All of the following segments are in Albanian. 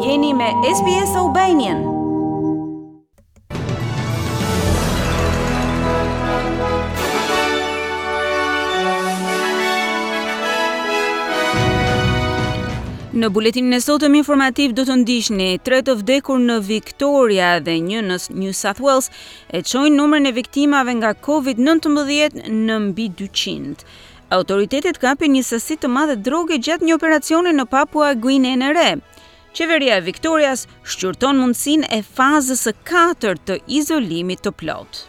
Jeni me SBS Albanian. Në buletinin e sotëm informativ do të ndiqni tre të vdekur në Victoria dhe një në New South Wales e çojnë numrin e viktimave nga COVID-19 në mbi 200. Autoritetet kapin një sasi të madhe droge gjatë një operacioni në Papua Guinenë e Re. Qeveria e Victorias shqyrton mundësinë e fazës së katërt të izolimit të plotë.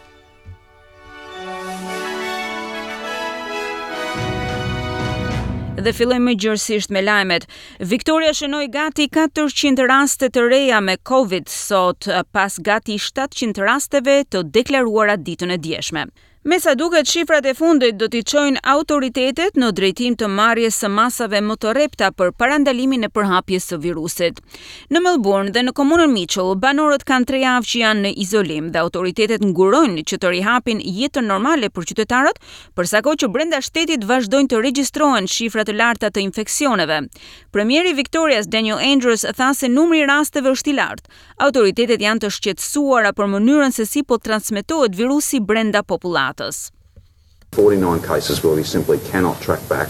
Dhe fillojmë më gjerësisht me lajmet. Victoria shënoi gati 400 raste të reja me Covid sot, pas gati 700 rasteve të deklaruara ditën e djeshme. Me sa duket shifrat e fundit do t'i çojnë autoritetet në drejtim të marrjes së masave më të rrepta për parandalimin e përhapjes së virusit. Në Melbourne dhe në komunën Mitchell, banorët kanë tre javë që janë në izolim dhe autoritetet ngurojnë që të rihapin jetën normale për qytetarët, për sa kohë që brenda shtetit vazhdojnë të regjistrohen shifra të larta të infeksioneve. Premieri i Victorias Daniel Andrews tha se numri i rasteve është i lartë, Autoritetet janë të shqetësuara për mënyrën se si po transmetohet virusi brenda popullatës. 49 cases where we simply cannot track back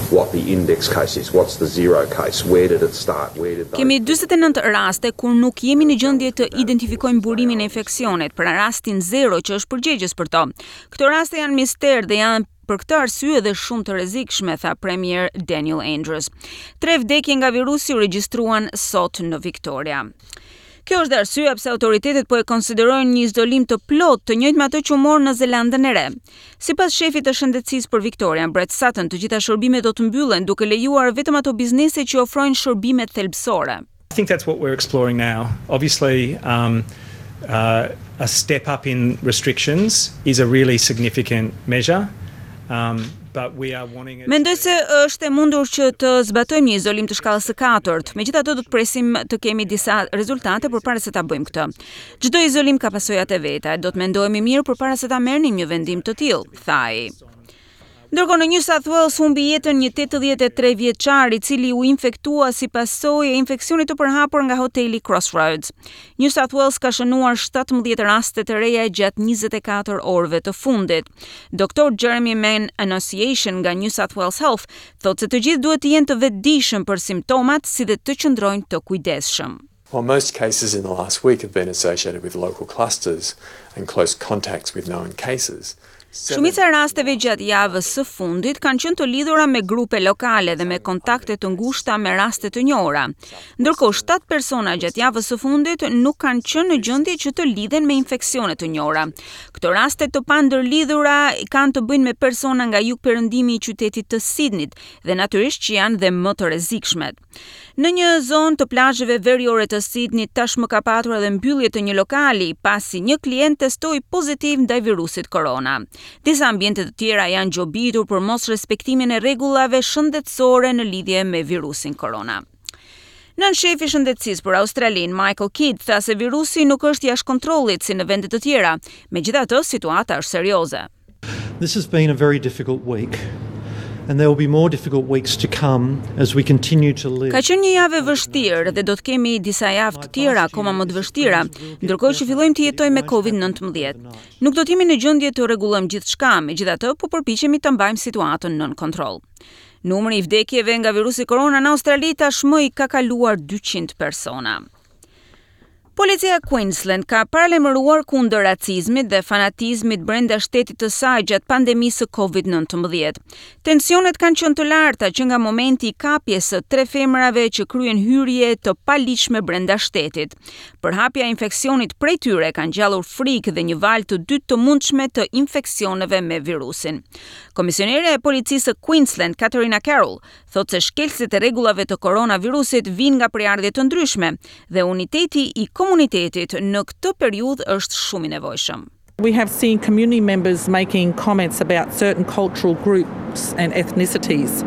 what the index case is, what's the zero case, where did it start, where did Kemi 49 raste kur nuk jemi në gjendje të identifikojmë burimin e infeksionit, pra rastin zero që është përgjegjës për to. Këto raste janë mister dhe janë për këtë arsye dhe shumë të rrezikshme, tha premier Daniel Andrews. Tre vdekje nga virusi u regjistruan sot në Victoria. Kjo është dhe arsyeja pse autoritetet po e konsiderojnë një izolim të plotë të njëjtë me atë që u mor në Zelandën e Re. Sipas shefit të shëndetësisë për Victorian, Brett Sutton, të gjitha shërbimet do të mbyllen duke lejuar vetëm ato biznese që ofrojnë shërbime thelbësore. I think that's what we're exploring now. Obviously, um, uh, a step up in restrictions is a really significant measure. Um, but we are wanting it Mendoj se është e mundur që të zbatojmë një izolim të shkallës së katërt. Megjithatë do të presim të kemi disa rezultate përpara se ta bëjmë këtë. Çdo izolim ka pasojat e veta, do të mendohemi mirë përpara se ta merrnim një vendim të tillë, tha ai. Ndërkohë në New South Wales humbi jetën një 83 vjeçar i cili u infektua si pasojë e infeksionit të përhapur nga hoteli Crossroads. New South Wales ka shënuar 17 raste të reja gjatë 24 orëve të fundit. Dr. Jeremy Mann-Annunciation nga New South Wales Health thotë se të gjithë duhet të jenë të vetëdijshëm për simptomat si dhe të qëndrojnë të kujdesshëm. While most cases in the last week have been associated with local clusters and close contacts with known cases, Shumica e rasteve gjatë javës së fundit kanë qenë të lidhura me grupe lokale dhe me kontakte të ngushta me raste të njohura. Ndërkohë, 7 persona gjatë javës së fundit nuk kanë qenë në gjendje që të lidhen me infeksione të njohura. Këto raste të pandërlidhura kanë të bëjnë me persona nga jugperëndimi i qytetit të Sydneyt dhe natyrisht që janë dhe më të rrezikshmet. Në një zonë të plazheve veriore të Sydneyt tashmë ka patur edhe mbyllje të një lokali, pasi një klient testoi pozitiv ndaj virusit korona. Disa ambiente të tjera janë gjobitur për mosrespektimin e rregullave shëndetësore në lidhje me virusin korona. Nënshefi i shëndetësisë për Australinë, Michael Kidd, tha se virusi nuk është jashtë kontrollit si në vende të tjera. Megjithatë, situata është serioze. This has been a very difficult week and there will be more difficult weeks to come as we continue to live. Ka qenë një javë e vështirë dhe do të kemi disa javë të tjera akoma më të vështira, ndërkohë që fillojmë të jetojmë me COVID-19. Nuk do të jemi në gjendje të rregullojmë gjithçka, megjithatë po përpiqemi të mbajmë situatën nën kontroll. Numri i vdekjeve nga virusi korona në Australi tashmë i ka kaluar 200 persona. Policia e Queensland ka paralajmëruar kundër racizmit dhe fanatizmit brenda shtetit të saj gjatë pandemisë së COVID-19. Tensionet kanë qenë të larta që nga momenti i kapjes së tre femrave që kryen hyrje të paligjshme brenda shtetit. Përhapja e infeksionit prej tyre ka ngjallur frikë dhe një valë të dytë të mundshme të infeksioneve me virusin. Komisionerja e policisë së Queensland, Katarina Carroll, thotë se shkelësit e rregullave të koronavirusit vijnë nga prejardhje të ndryshme dhe uniteti i komunitetit në këtë periudhë është shumë i nevojshëm. We have seen community members making comments about certain cultural groups and ethnicities.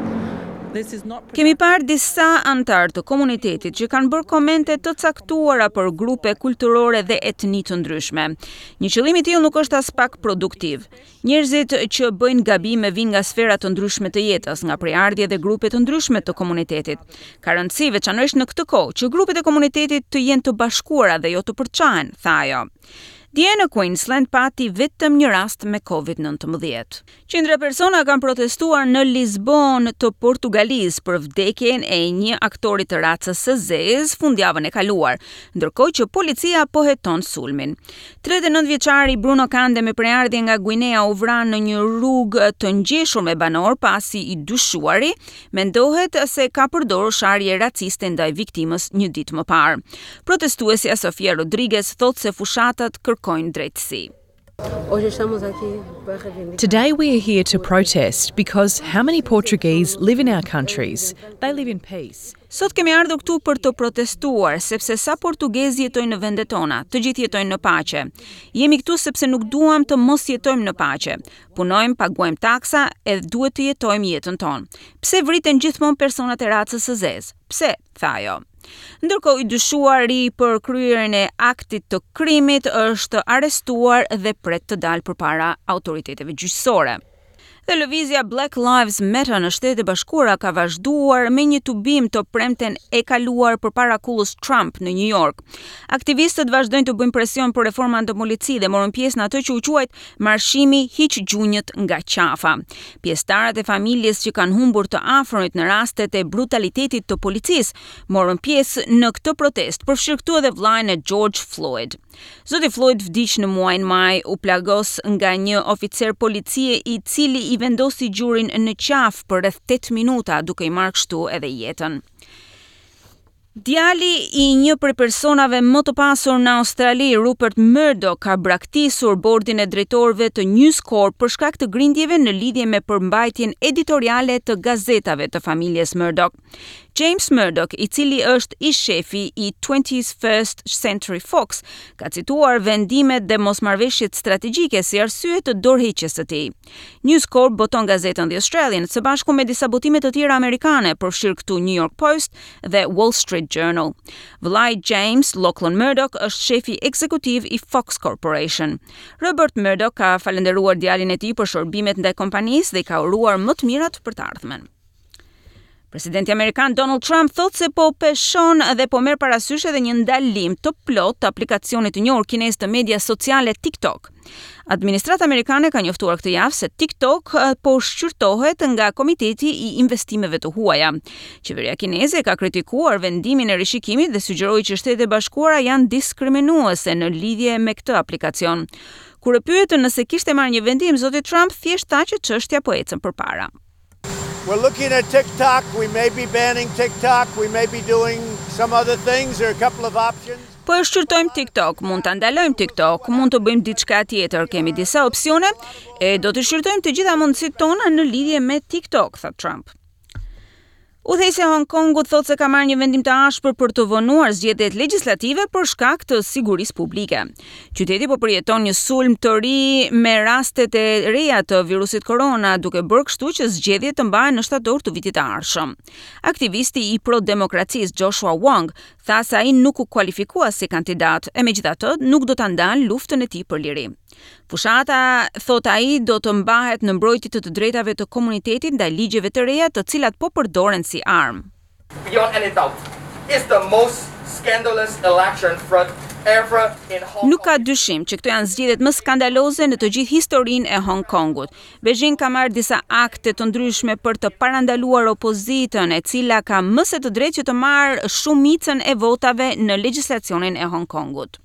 Kemi parë disa anëtarë të komunitetit që kanë bërë komente të caktuara për grupe kulturore dhe etni të ndryshme. Një qëllim i tillë nuk është aspak produktiv. Njerëzit që bëjnë gabime vijnë nga sfera të ndryshme të jetës, nga prejardhje dhe grupe të ndryshme të komunitetit. Ka rëndësi, veçanërisht në këtë kohë, që grupet e komunitetit të jenë të bashkuara dhe jo të përçahen, tha ajo. Dje në Queensland pati vetëm një rast me Covid-19. Qindra persona kanë protestuar në Lisbonë të Portugalisë për vdekjen e një aktori të racës së zezë fundjavën e kaluar, ndërkohë që policia po heton sulmin. 39 vjeçari Bruno Kande me prejardhje nga Guinea u vra në një rrugë të ngjeshur me banorë pasi i dyshuari mendohet se ka përdorur sharje raciste ndaj viktimës një ditë më parë. Protestuesja Sofia Rodriguez thotë se fushatat kërkojnë drejtësi. Today we are here to protest because how many Portuguese live in our countries? They live in peace. Sot kemi ardhur këtu për të protestuar, sepse sa portugezë jetojnë në vendet tona, të gjithë jetojnë në paqe. Jemi këtu sepse nuk duam të mos jetojmë në paqe. Punojmë, paguajmë taksa e duhet të jetojmë jetën tonë. Pse vriten gjithmonë personat e racës së zezë? Pse? tha ajo. Ndërkohë i dyshuari për kryerjen e aktit të krimit është arrestuar dhe pret të dalë përpara autoriteteve gjyqësore. Dhe lëvizja Black Lives Matter në Shtetet e Bashkuara ka vazhduar me një tubim të premten e kaluar përpara kullës Trump në New York. Aktivistët vazhdojnë të bëjnë presion për reforma në polici dhe morën pjesë në atë që u quajt Marshimi hiq gjunjët nga qafa. Pjesëtarët e familjes që kanë humbur të afërmit në rastet e brutalitetit të policisë morën pjesë në këtë protestë, përfshirë këtu edhe vëllain e George Floyd. Zoti Floyd vdiq në muajin maj, u plagos nga një oficer policie i cili i vendosi gjurin në qafë për rreth 8 minuta, duke i marrë kështu edhe jetën. Djali i një prej personave më të pasur në Australi, Rupert Murdoch, ka braktisur bordin e drejtorëve të News Corp për shkak të grindjeve në lidhje me përmbajtjen editoriale të gazetave të familjes Murdoch. James Murdoch, i cili është ish-shefi i 21st Century Fox, ka cituar vendimet dhe mosmarrëveshjet strategjike si arsye të dorëheqjes së tij. News Corp boton gazetën The Australian së bashku me disa botime të tjera amerikane, përfshirë këtu New York Post dhe Wall Street Journal. Vëllai James Lachlan Murdoch është shefi ekzekutiv i Fox Corporation. Rupert Murdoch ka falënderuar djalin e tij për shërbimet ndaj kompanisë dhe i ka uruar më të mirat për të ardhmen. Presidenti amerikan Donald Trump thotë se po peshon dhe po merr parasysh edhe një ndalim të plotë të aplikacionit të njohur kinez të medias sociale TikTok. Administrata amerikane ka njoftuar këtë javë se TikTok eh, po shqyrtohet nga Komiteti i Investimeve të Huaja. Qeveria kineze ka kritikuar vendimin e rishikimit dhe sugjeroi që Shtetet e Bashkuara janë diskriminuese në lidhje me këtë aplikacion. Kur e pyetën nëse kishte marrë një vendim, zoti Trump thjesht tha që çështja po ecën përpara. We're looking at TikTok. We may be banning TikTok. We may be doing some other things. There are a couple of options. Po e shqyrtojmë TikTok, mund ta ndalojmë TikTok, mund të bëjmë diçka tjetër, kemi disa opsione e do të shqyrtojmë të gjitha mundësitë tona në lidhje me TikTok, tha Trump. Udhëheqësja e Hong Kongut thotë se ka marrë një vendim të ashpër për të vonuar zgjedhjet legjislative për shkak të sigurisë publike. Qyteti po përjeton një sulm të ri me rastet e reja të virusit korona, duke bërë kështu që zgjedhjet të mbahen në shtator të vitit të ardhshëm. Aktivisti i pro-demokracisë Joshua Wong tha se ai nuk u kualifikua si kandidat, e megjithatë nuk do ta ndalë luftën e tij për liri. Fushata, thotë ai, do të mbahet në mbrojtje të të drejtave të komunitetit ndaj ligjeve të reja të cilat po përdoren si armë. Beyond any doubt, it's the most scandalous election fraud ever in Hong Kong. Nuk ka dyshim që këto janë zgjedhjet më skandaloze në të gjithë historinë e Hong Kongut. Beijing ka marrë disa akte të ndryshme për të parandaluar opozitën, e cila ka më se të drejtë që të marrë shumicën e votave në legjislacionin e Hong Kongut.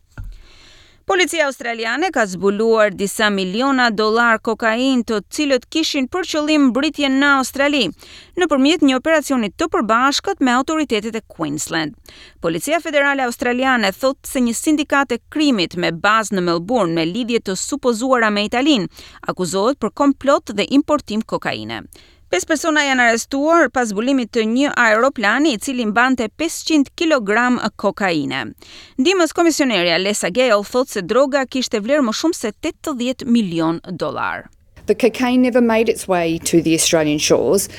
Policia australiane ka zbuluar disa miliona dollarë kokainë të cilët kishin për qëllim mbërritjen në Australi, nëpërmjet një operacioni të përbashkët me autoritetet e Queensland. Policia Federale Australiane thotë se një sindikatë e krimit me bazë në Melbourne me lidhje të supozuara me Italinë akuzohet për komplot dhe importim kokaine. Pesë persona janë arrestuar pas zbulimit të një aeroplani i cili mbante 500 kg kokaine. Ndihmës komisionerja Lesa Gale thotë se droga kishte vlerë më shumë se 80 milion dollar. The cocaine never made its way to the Australian shores.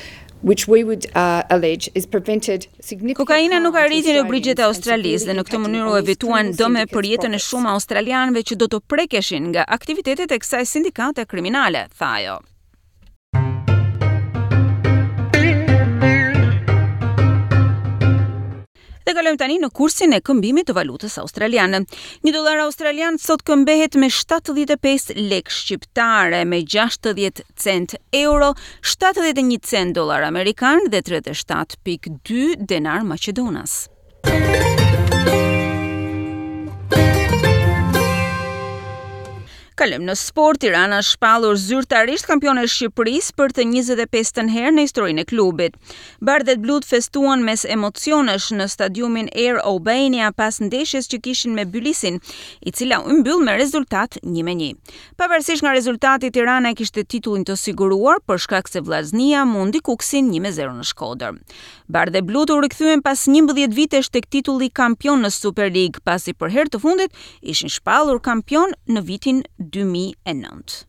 Which we would uh, allege is prevented significant Kokaina nuk arriti në brigjet e Australisë dhe në këtë mënyrë u evituan dëme për jetën e shumë australianëve që do të prekeshin nga aktivitetet e kësaj sindikate kriminale, tha ajo. Dhe kalojmë tani në kursin e këmbimit të valutës australiane. Një dollar australian sot këmbehet me 75 lekë shqiptare, me 60 cent euro, 71 cent dollar amerikan dhe 37.2 denar maqedonas. Kalojmë në sport, Tirana është shpallur zyrtarisht kampione e Shqipërisë për të 25-tën herë në historinë e klubit. Bardheblutë festuan mes emocionesh në stadiumin Air Albania pas ndeshjes që kishin me Bylisin, i cila u mbyll me rezultat 1-1. Pavarësisht nga rezultati, Tirana e kishte titullin të siguruar për shkak se Vllaznia mundi Kukësin 1-0 në Shkodër. Bardheblutë u rikthyen pas 11 vitesh tek titulli kampion në Superligë, pasi për herë të fundit ishin shpallur kampion në vitin 2009.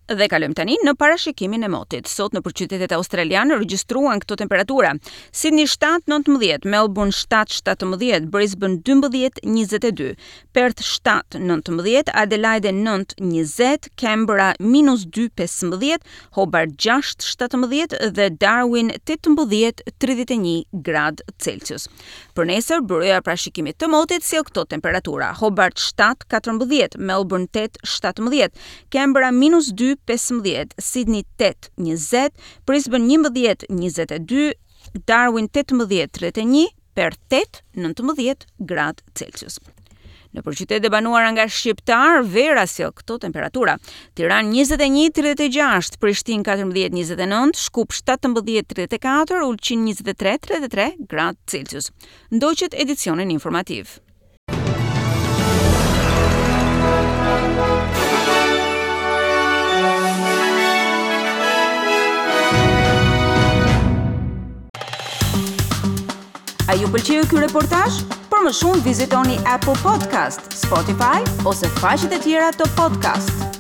Dhe kalojmë tani në parashikimin e motit. Sot nëpër qytetet australiane regjistruan këto temperatura. Sydney 7-19, Melbourne 7-17, Brisbane 12-22, Perth 7, 19, Adelaide 9, 20, Canberra minus 2, 15, Hobart 6, 17 dhe Darwin 18, 31 gradë Celsius. Për nesër, byroja e parashikimit të motit sjell këto temperatura: Hobart 7, 14, Melbourne 8, 17, Canberra minus 2, 15, Sydney 8, 20, Brisbane 11, 22, Darwin 18, 31, Perth 8, 19 gradë Celsius. Nëpër qytetet e banuara nga shqiptarë, vera sjell këto temperatura. Tiranë 21, 36, Prishtinë 14, 29, Shkup 17, 34, Ulqin 23, 33 gradë Celsius. Ndoqët edicionin informativ. A ju pëlqeu ky reportazh? Për më shumë vizitoni Apple Podcast, Spotify ose faqet e tjera të podcast.